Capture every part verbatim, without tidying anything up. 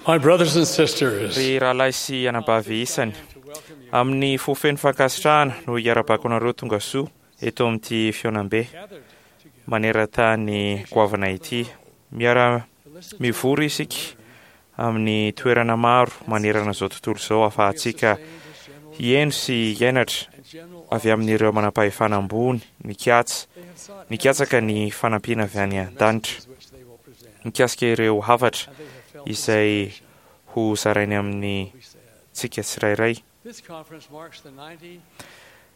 My brothers and sisters, Ry rahalahy sy anabavy isany, amin'ny fo feno fankasitrahana no hiarabako anareo tonga soa eto amin'ity fihaonambe maneran-tany goavana ity. Miara mivory isika amin'ny toerana maro manerana izao tontolo izao ahafahantsika hihaino sy hianatra avy amin'ireo manam-pahefana ambony nikatsa nikatsaka ny fanampiana avy any an-danitra mikasika ireo hafatra izay ho zarainy amin'ny tsika tsirairay. This conference marks the ninety,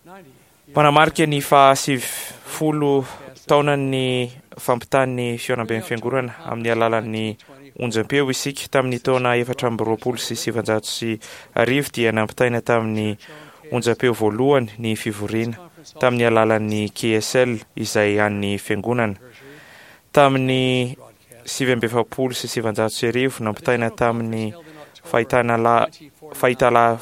ninety Manamarika ny fahasivifolo taonan'ny fampitan'ny fihaonamben'ny fiangonana amin'ny alalan'ny onjam-peo isika. Tamin'ny taona efatra amby roapolo sy sivanjato sy arivo dia nampitaina tamin'ny onjam-peo voalohany ny fivoriana tamin'ny alalan'ny K S L izay an'ny fiangonana. Tamin'ny sivy amby efapolo sy sivanjato sy arivo nampitaina tamin'ny fahitana la-, fahitala-,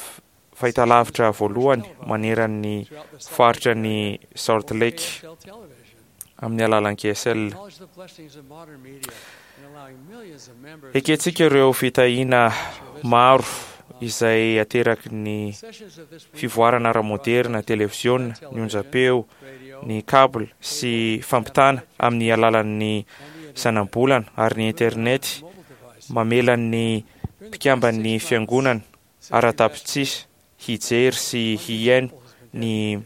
fahitalavitra voalohany maneran'ny faritra ny Salt Lake amin'ny alalan'ny K S L. Ekentsika ireo fitahiana maro izay ateraky ny fivoarana ara-moderna, televiziona, ny onjam-peo, ny câble sy fampitana amin'ny alalan'ny zanabolana ary ny internet mamela ny mpikamban'ny fiangonana ara-tapitsisa hijery sy hihaino ny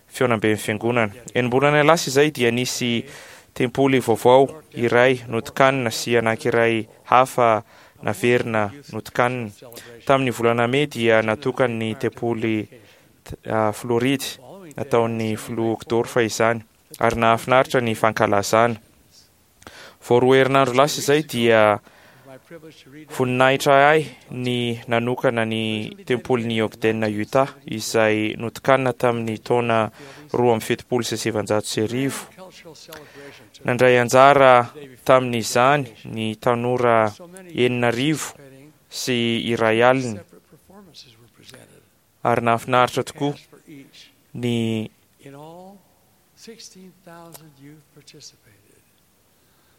fihaonamben'ny fiangonana. Enim-bolana lasa izay dia nisy tempoly vaovao iray notokanina sy anankiray hafa naverina notokanina. Tamin'ny volana mey dia natokan'ny tempoly, ah, Floride nataon'ny filoha Uchtdorf izany ary nahafinaritra ny fankalazana. Vao roa herinandro lasa izay dia voninahitra ahy ny nanokana ny tempolin'i Ogden, Utah, izay notokanina tamin'ny taona roa amby fitopolo sy sivanjato sy arivo. Nandray anjara tamin'izany ny tanora enina arivo sy iray alina ary nahafinaritra tokoa ny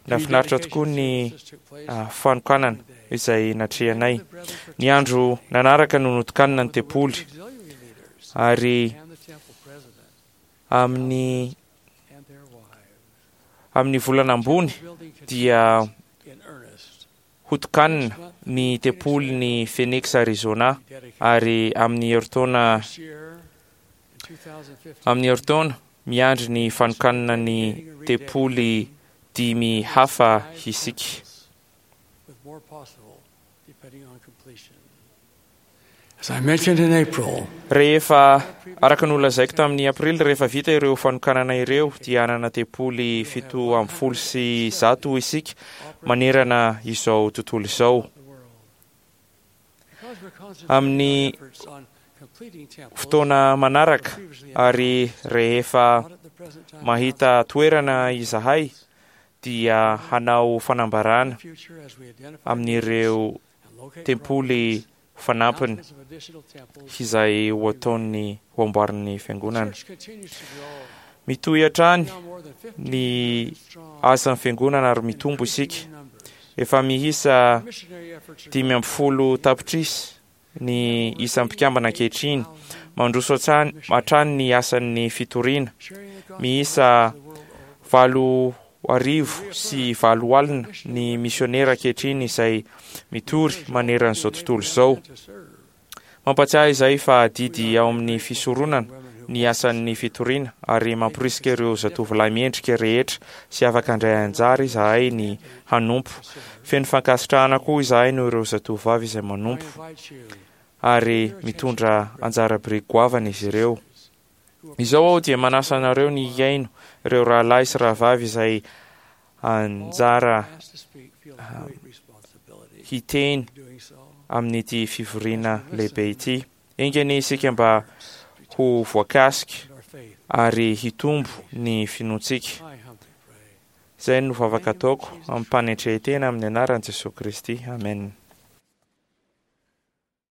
nahafinaritra tokoa ny, ah, fanokanana izay natrehanay. Ny andro nanaraka no notokanina ny tempoly ary amin'ny, amin'ny volana ambony dia hotokanina ny tempolin'i Phoenix, Arizona, ary amin'ny herintaona, amin'ny herintaona miandry ny fanokanana ny tempoly dimy hafa isika. As I mentioned in April, Rehefa araka ny nolazaiko tamin'ny aprily, rehefa vita ireo fanokanana ireo dia hanana tempoly fito amby folo sy zato isika manerana izao tontolo izao. Amin'ny fotoana manaraka ary rehefa mahita toerana izahay dia hanao fanambarana amin'ireo tempoly fanampiny izay ho ataon'ny ho amboarin'ny fiangonana. Mitohy hatrany ny asan'ny fiangonana ary mitombo isika. Efa miisa dimy amby folo tapitrisa ny isan'ny mpikambana ankehitriny. Mandroso hatrany, hatrany ny asan'ny fitoriana. Miisa valo arivo sy valo alina ny misionera ankehitriny izay mitory maneran'izao tontolo izao. Mampatsiahy izay fa adidy ao amin'ny fisoronana ny asan'ny fitoriana ary mamporisika ireo zatovolahy mendrika rehetra sy afaka handray anjara izahay ny hanompo. Feno fankasitrahana koa izahay noho ireo zatovovavy izay manompo ary mitondra anjara biriky goavana izy ireo. Izao aho dia manasa anareo ny hihaino ireo rahalahy sy rahavavy izay anjara, ah, hiteny amin'ity fivoriana lehibe ity. Enga anie isika mba ho voakasika ary hitombo ny finoantsika. Izay no vavaka ataoko amim-panetren-tena amin'ny anaran'i Jesoa Kristy. Amen.